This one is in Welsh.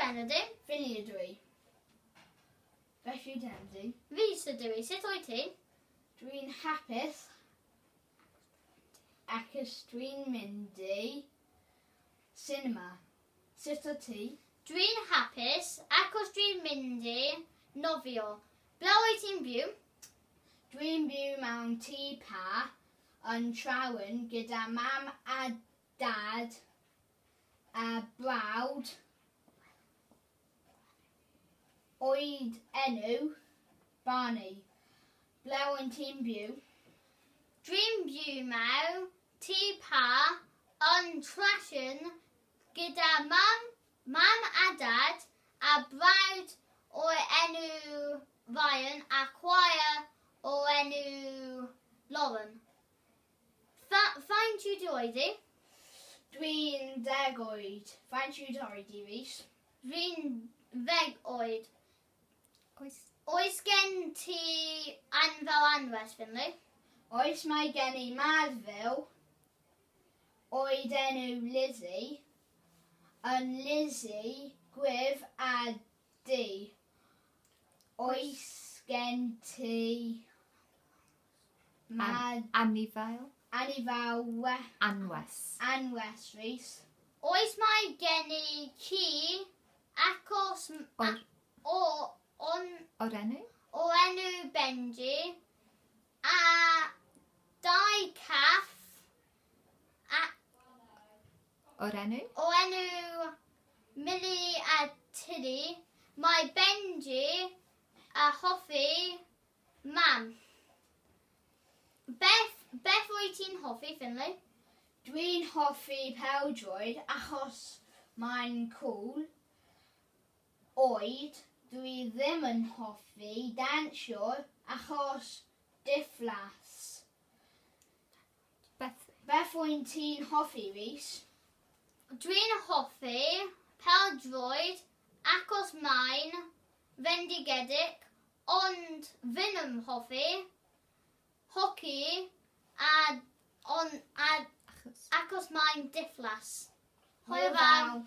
enw di? Finley ydw i. Beth yw dy enw di? Rhys ydw i. Sut wyt ti? Dwi'n hapus achos dwi'n mynd i cinema. Sut wyt ti? Dwi'n hapus achos dwi'n mynd i nofio. Ble wyt ti'n byw? Dwi'n byw mewn tŷ pa yn Trawen gyda mam a dad a brawd oed enw Barney. Ble wyt ti'n byw? Dwi'n byw mewn tŷ pa yn Trashion gyda mam, mam a dad a brawd o'r enw Ryan a chwaer o'r enw Lauren. Faint yw dy oed di? Dwi'n 10 oed. Faint yw dy oed di, Rhys? Dwi'n 10 oed. Oes. Oes gen ti anfel anwes, Finley? Oes, mae gen i madfil oed enw Lizzie, yn Lizzie gwydd a du. Oes gen ti mad Anifail. Anifail Anwes. Anwes, Rhys? Oes mae gen i ci achos O'r, o, on, o'r enw? o enw Benji a dau caff a, O'r enw? o enw Millie a Tilly. Mae Benji a hoffi mam. Beth wyt ti'n hoffi, Finley? Dwi'n hoffi pêl-droed achos mae'n cool. Oed, dwi ddim yn hoffi dansio achos diflas. Beth? Beth wyt ti'n hoffi, Rhys? Dwi'n hoffi pêl-droed achos mae'n fendigedig, ond ddim yn hoffi hoci a, on, a Achos. achos mae'n diflas. Hwyl fawr.